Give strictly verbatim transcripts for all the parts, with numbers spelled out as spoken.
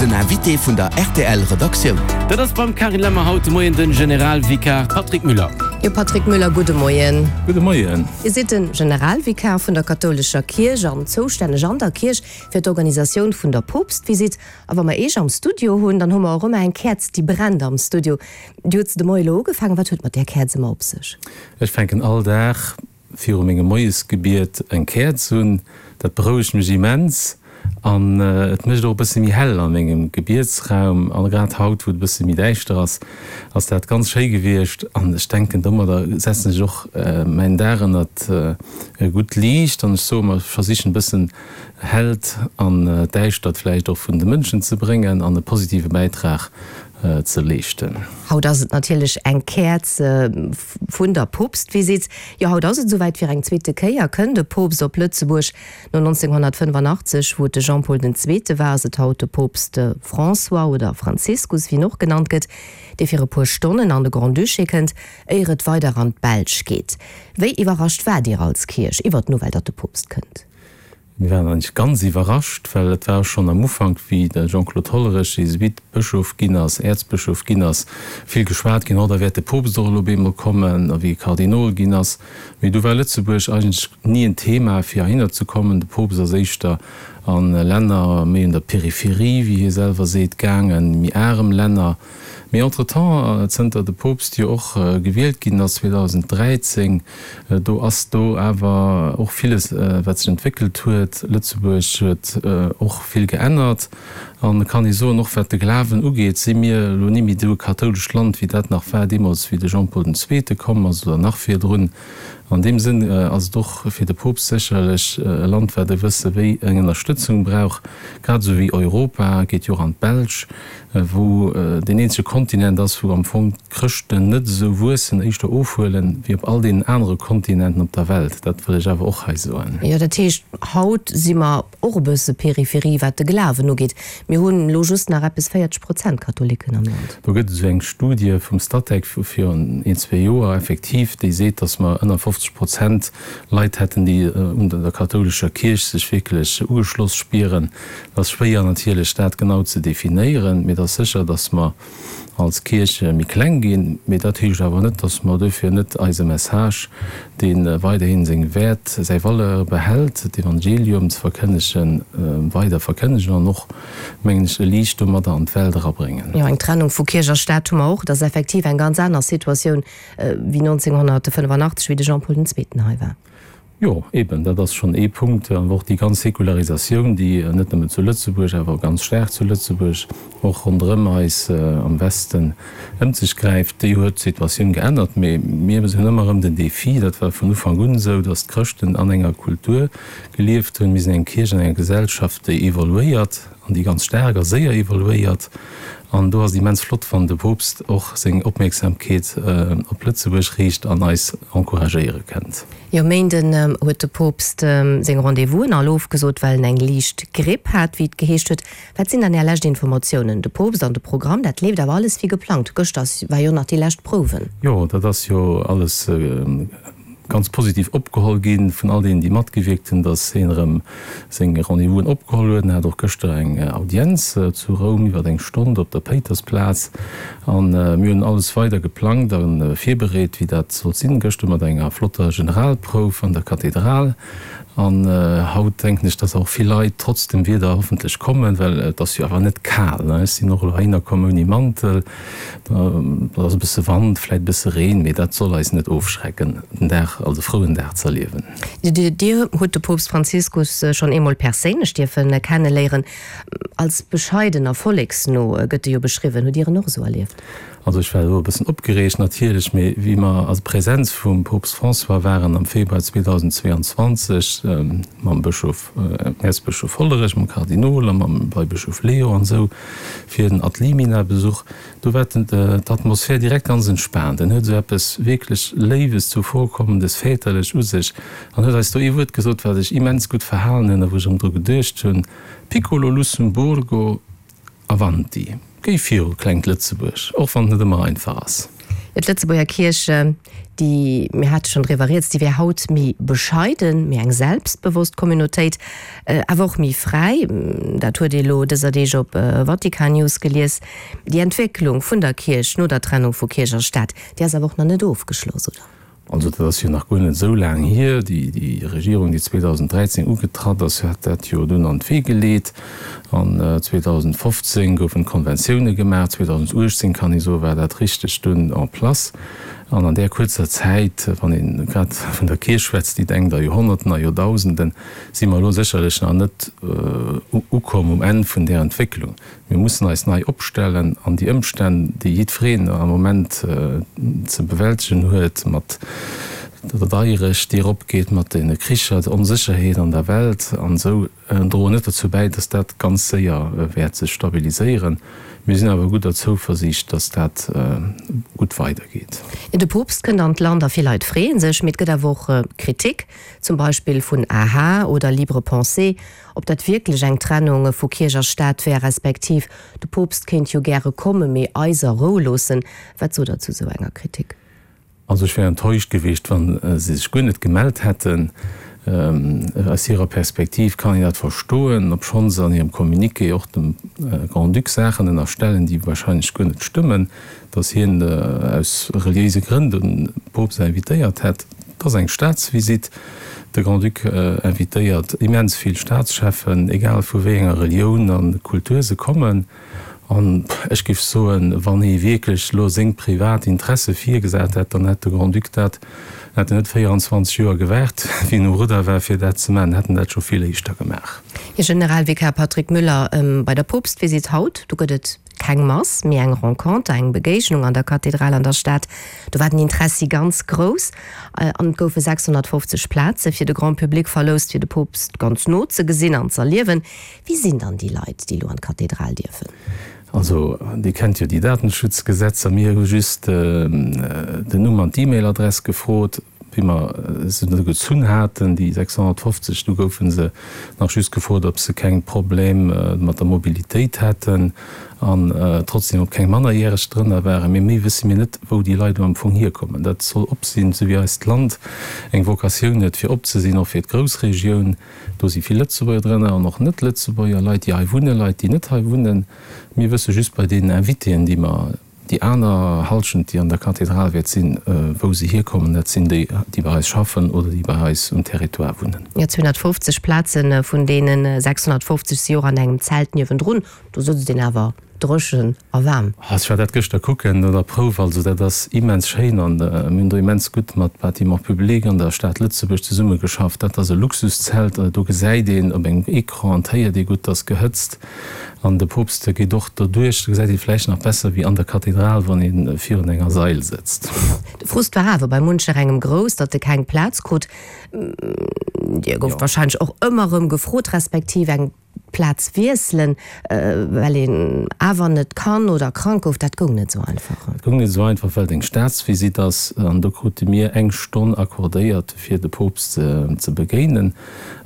Den Invité vun der R T L Redaktioun. Dat ass beim Carine Lemmer haut de Moien den Generalvikar Patrick Müller. Jo, Patrick Müller, gudde Moien. Gudde Moien. Dir sidd den Generalvikar vun der kathoulescher Kierch an zoustänneg an der Kierch fir d'Organisatioun vun der Poopstvisitt. A wa mer Iech am Studio hunn, dann hu mer och ëmmer eng Käerz, déi brennt am Studio. Dir hutt se de Moie lo ugefaangen. Wat huet mat där Käerz ëmmer op sech? Ech fänken all Dag viru mengem Moiesgebiet eng Käerz un. Dat berouegt mech immens an et mécht och e bësse méi hell a mengem Gebietsraum. An grad haut, wou et e bësse méi däischter ass, ass dat ganz schéi gewiescht. An ech denken, domadder setzen ech och mäin Dag ënnert e gutt Liicht. An ech soe mer, ech versichen e bëssen Hellt an d'Däischtert vläicht och vun de Mënschen ze bréngen an e positive Bäitrag ze leeschten. Haut ass et natierlech eng Käerz vun der Poopstvisitt. Jo, haut ass et esouwäit, fir eng zweete Kéier kënn de Poopst op Lëtzebuerg. No nonzénghonnertfënnefanachtzeg, wou et de Jean Paul den Zweete war, ass et haut de Poopst François oder Franziskus, wéi en och genannt gëtt, dee fir e puer Stonnen an de Grand-Duché kënnt, éier et weider an d'Belsch geet. Wéi iwwerrascht waart Dir als Kierch iwwer d'Nouvelle, datt de Poopst kënnt? Mir waren eigentlech ganz iwwerrascht, well et war schonn am Ufank, wéi de Jean-Claude Hollerich Jesuit-Bëschof ginn ass, Äerzbëschof ginn ass, vill geschwat ginn, oh da wäert de Poopst och elo op eemol kommen, a wéi e Kardinol ginn ass. Mee du war Lëtzebuerg eigentlech ni en Thema, fir heihinner ze kommen. De Poopst ass éischter a Länner méi un der Peripherie, wéi hie selwer seet, gaangen, méi arem Länner. Mee entretemps, zënter de Poopst jo och gewielt ginn ass zweedausend dräizéng, do ass do awer och villes, wat sech entwéckelt huet. Lëtzebuerg huet och vill geännert an, kann ee soen, och wat de Glawen ugeet, si mir elo ni méi esou e kathoulescht Land, wéi dat nach war deemools, wéi de Jean Paul den Zweete komm ass oder nach virdrun. An deem Sënn ass et och fir de Poopst sécherlech e Land, wat e wësse wéi eng Ënnerstëtzung brauch, grad esou wéi Europa. Geet jo och an d'Belsch, wou deen eenzege Kontinent ass, wou am Fong d'Chrëschten net esou wuessen, éischter ofhuelen, wéi op all deenen anere Kontinenten op der Welt. Dat wëll ech awer och hei soen. Jo, dat heescht, haut si mer och e bësse Peripherie, wat de Glawen ugeet. Mir hunn elo just nach eppes véierzeg Prozent Katholiken am Land. Do gëtt et esou eng Studie vum Statec vu virun een, zwee Joer effektiv, déi seet, datt mer ënner fofzeg Prozent Leit hätten, déi un der kathoulescher Kierch sech wierklech ugeschloss spieren. Et ass schwéier natierlech, dat genau ze definéieren, mee et ass sécher, datt mer als Kierch méi kleng ginn. Mee dat heescht awer net, datt mer duerfir net eise Message, dee weiderhin seng Wäert, säi Valeur behält, d'Evangelium ze verkënnegen, weider verkënnegen an och, mengen ech, e Liicht domadder an d'Welt erabréngen. Jo, eng Trennung vu Kierch a Staat hu mer och. Et ass effektiv eng ganz aner Situatioun wéi nonzénghonnertfënnefanachtzeg, wéi de Jean Paul den Zweeten hei war. Jo, eben, dat ass schonn ee Punkt. An och déi ganz Säkularisatioun, déi net nëmmen zu Lëtzebuerg, awer ganz staark zu Lëtzebuerg, och ronderëm eis am Westen ëm sech gräift, déi huet d'Situatioun geännert. Mee mir hunn ëmmer erëm den Défi, dat war vun Ufank un esou, datt d'Chrëschten an enger Kultur gelieft hunn. Mir sinn eng Kierch an enger Gesellschaft, déi evoluéiert an déi ganz staark a séier evoluéiert. An do ass et immens flott, wann de Poopst och seng Opmierksamkeet op Lëtzebuerg riicht an eis encouragéiere kënnt. Jo, Méinden huet de Poopst seng Rendez-vousen all ofgesot, well en eng liicht Gripp hat, wéi et geheescht huet. Wat sinn dann Är lescht Informatiounen? De Poopst an de Programm, dat leeft awer alles wéi geplangt. Gëschter war jo nach déi lescht Prouwen. Jo, dat ass jo alles ganz positiv opgeholl gi vun all deenen, déi matgewierkt hunn, datt hien erëm seng Rendez-vousen opgeholl huet. En hat och gëschter eng Audienz zu Roum iwwer eng Stonn op der Péitersplaz. A mir hunn alles weider geplangt a virbereet, wéi dat sollt sinn. Gëschter mat enger flotter Generalprouf an der Kathedral. An haut denken ech, datt och vill Leit trotz dem Wieder hoffentlech kommen, well et ass jo awer net kal. Ech sinn och elo heihinner komm ouni Mantel. Et ass e bësse Wand, vläit e bësse Reen, mee dat soll eis net ofschrecken, den Dag als e frouen Dag z'erliewen. Dir hutt de Poopst Franziskus schonn eemol perséinlech dierfe kenneléieren. Als bescheiden a volleksno gëtt e jo beschriwwen. Hutt Dir en och esou erlieft? Also ech war elo e bëssen opgereegt natierlech, mee wéi mer a Präsenz vum Poopst François waren am Februar zweedausend zweeanzwanzeg mam Bëschof, Äerzbëschof Hollerich, mam Kardinol a mam Weibëschof Leo an esou fir den Ad Limina Besuch, do war d'Atmosphär direkt ganz entspaant. En huet esou eppes wierklech Léiwes, Zuvorkommendes, Väterlech u sech an huet eis do ee Wuert gesot, wat ech immens gutt verhalen hunn a wou ech erëm dru geduecht hunn, Piccolo Lussemburgo, avanti! Géi viru, klengt Lëtzebuerg, och wann et net ëmmer einfach ass. D'Lëtzebuerger Kierch, déi, mir hate schonn driwwer rieds, déi wär haut méi bescheiden, méi eng selbstbewosst Communautéit, awer och méi fräi. Dat huet ee lo dëser Deeg op Vatican News gelies. Déi Entwécklung vun der Kierch no der Trennung vu Kierch a Staat, déi ass awer och nach net ofgeschloss, oder? Also dat ass jo nach guer net esou laang hier. Déi Regierung, déi zweedausenddräizéng ugetratt ass, hat dat jo dunn an d'Wee geleet. An zweedausendfofzéng goufen d'Konventioune gemaach, zweedausenduechtzéng, kann ee soen, war dat richteg dunn en place. An an där kuerzer Zäit, wann ee grad vun der Kierch schwätzt, déi denkt a Joerhonnerten, a Joerdausenden, si mer elo sécherlech nach net ukomm um Enn vun där Entwécklung. Mir mussen eis nei opstellen an déi Ëmstänn, déi jiddwereen am Moment ze bewältegen huet, mat der Deierecht, déi eropgeet, mat de Kricher, der Onsécherheet an der Welt an esou, droen net dozou bäi, dass dat ganz séier wäert sech stabiliséieren. Mir sinn awer gudder Zouversiicht, dass dat gutt weidergeet. De Poopst kënnt an d'Land a vill Leit freeë sech. Mee et gëtt awer och Kritik, zum Beispill vun A H oder Libre Pensée, ob dat wierklech eng Trennung vu Kierch a Staat wär, respektiv de Poopst kéint jo gäre kommen, mee eis a Rou loossen. Wat sot Der zu esou enger Kritik? Also ech wär enttäuscht gewiescht, wa se sech guer net gemellt hätten. Aus hirer Perspektiv kann een dat verstoen, obschonn se an hirem Communiqué och dem Grand-Duc Saachen ënnerstellen, déi wahrscheinlech guer net stëmmen, datt hien aus reliéise Grënn de Poopst invitéiert hätt. Et ass eng Staatsvisitt. De Grand-Duc invitéiert immens vill Staatscheffen, egal vu wéi enger Relioun a Kultur se kommen. An ech géif soen, wann hie wierklech elo seng privat Interesse virgesat hätt, dann hätt de Grand-Duc dat, hätt en net véieranzwanzeg Joer gewaart, wéi en um Rudder war, fir dat ze maachen, hätt en dat scho vill éischter gemaach. Här Generalvikar Patrick Müller, bei der Poopstvisitt haut, do gëtt et keng Mass, mee eng Renconter, eng Begéignung an der Kathedral an der Stad. Do war den Interessi ganz grouss an et goufe sechshonnertfofzeg Plaze fir de Grand Public verloust, fir de Poopst ganz no ze gesinn an z'erliewen. Wie sinn dann déi Leit, déi elo an d'Kathedral dierfen? Also, Dir kennt jo déi Datenschutzgesetzer. Mir hu just den Numm an d'E-Mail-Adress gefrot, wéi mer se du gezunn haten, déi sechshonnertfofzeg. Du goufe se nach just gefrot, ob se keng Problem mat der Mobilitéit hätten an trotzdem ob keng Mannerjäreg drënner waren. Mee méi wësse mir net, wou déi Leit elo am Fong hierkommen. Dat soll op sinn, esou wéi eist Land eng Vocatioun huet, fir op ze sinn, och fir d'Groussregioun. Do si vill Lëtzebuerger drënner an och Net-Lëtzebuerger, Leit, déi hei wunnen, Leit, déi net hei wunnen. Mir wësse just bei deenen Invitéen, déi mer, déi aner Hallschent, déi an der Kathedral wäert sinn, wou se hierkommen. Dat sinn déi, déi bei eis schaffen oder déi bei eis um Territoire wunnen. Jo, zweehonnertfofzeg Plazen, vun deene sechshonnertfofzeg si och an engem Zelt niewendrun. Do sëtzt een awer dréchen a waarm. Ech war dat gëschter kucken no der Prouf, also dat ass immens schéin an mir hunn do immens gutt mat Bâtiments publics an der Stad Lëtzebuerg zesummegeschafft. Dat ass e Luxuszelt, do gesäit een op engem Ecran an et héiert ee gutt, et ass gehëtzt an de Poopst geet och doduerch, do gesäit ee vläicht nach besser wéi an der Kathedral, wann ee virun enger Sail sëtzt. De Frust war awer bei muncherengem grouss, datt e keng Plaz krut. Dir gouft warscheinlech och ëmmer erëm gefrot, respektiv eng D'Plaz wiesselen, well een awer net kann oder krank gouf, dat goung net esou einfach. Dat goung net esou einfach, well et eng Staatsvisitt ass. An do krute mir eng Stonn accordéiert, fir de Poopst ze begéinen.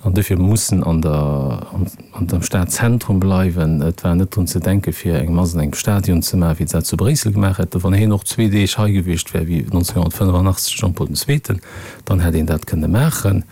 An duerfir mussen an der, an dem Stadzentrum bleiwen. Et war net drun ze denken, fir eng Mass an engem Stadion ze maachen, wéi se dat zu Bréissel gemaach hätten. Wann hien och zwee Deeg hei gewiescht wär, wéi nonzénhunnertfënnefanaachtzeg Jean-Paul den Zweeten, dann hätt een dat kënne maachen.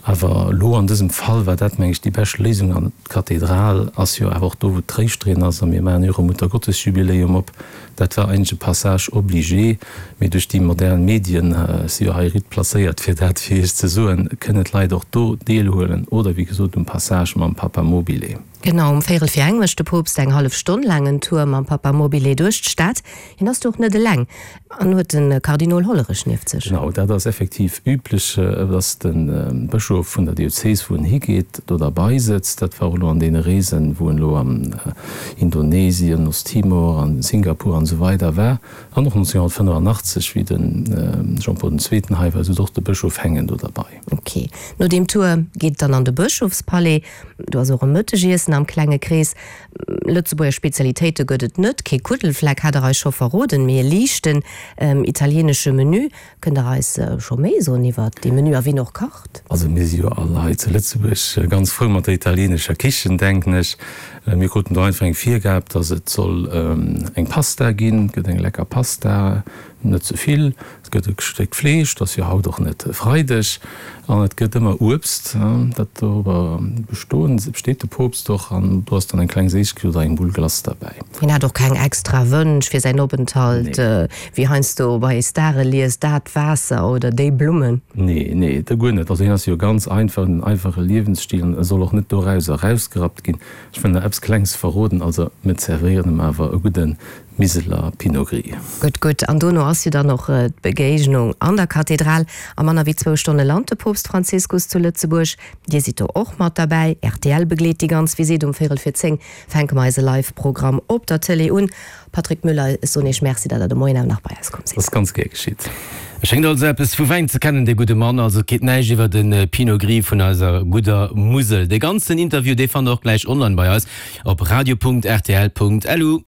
Awer elo an dësem Fall war dat, meng ech, déi bescht Léisung. An d'Kathedral ass jo awer och do, wou d'Tréischterin ass, a mir maachen jo och e Muttergottesjubiläum op. Dat war eigentlech e Passage obligé. Mee duerch déi modern Medien, ech si jo hei ritt placéiert, fir dat fir Iech ze soen, kënnen d'Leit och do deelhuelen oder, wéi gesot, um Passage mam Papamobile. Genau, um véierel vir eng mécht de Poopst eng hallef Stonn laang en Tour mam Papamobile duerch d'Stad. Hien ass do och net eleng an huet de Kardinol Hollerich nieft sech. Genau, dat ass effektiv üblech, dass de Bëschof vun der Diözes, wou en higeet, do derbei sëtzt. Dat war och elo an deene Reesen, wou en elo an Indonesien, Osttimor, an Singapur an esou weider war. An och nonzénhunnertfënnefanaachtzeg, wéi de Jean-Paul den Zweeten hei war, sot och de Bëschof Hengen do derbei. Ok. No deem Tour geet et dann an de Bëschofspalais. Do ass och e Mëttegiessen am klenge Krees. Lëtzebuerger Spezialitéite gëtt et net, kee Kuddelfleck hat der eis scho verroden, mee e liichten italienesche Menü. Kënnt der eis scho méi soen iwwer dee Menü a wien och kacht? Also mir si jo all hei zu Lëtzebuerg ganz frou mat der italienescher Kichen, denken ech. Mir kruten do einfach eng Virgab, dass et soll eng Pasta ginn, et gëtt eng lecker Pasta, net ze vill, et gëtt e Stéck Fleesch, et ass jo haut och net Freideg, an et gëtt ëmmer Uebst, dat dorobber bestoen, besteet de Poopst och, an do ass dann eng kleng Séissegkeet oder eng Bull Glace derbäi. Hien hat och keng extra Wënsch fir säin Openthalt, wéi heiansdo bei Stare liest, dat Waasser oder déi Blummen. Nee, nee, dat guer net. Also hien ass jo ganz einfach, en einfache Liewensstil, an e soll och net dorauser erausgerappt ginn. Ech wëll nach eppes Klengs verroden, also mir zerwéieren em awer e gudde Miseler Pinot Gris. Gutt, gutt. An dono ass jo dann och d'Begéignung an der Kathedral. A manner wéi zwou Stonne lant de Poopst Franziskus zu Lëtzebuerg. Dir sidd do och mat derbäi. Rtl begleet déi ganz Visitt. Um véierel vir zéng fänke mer eise Live-Programm op der Tëlee un. Patrick Müller, ech soen Iech Merci, datt Der de Moien awer nach bei eis komm sidd. Ass ganz gär geschitt. E schéngt also eppes vu Wäin ze kennen, dee gudde Mann. Also et geet näischt iwwer de Pinot Gris vun eiser gudder Musel. Dee ganzen Interview, dee fannt der och gläich online bei eis op radio.rtl.lu.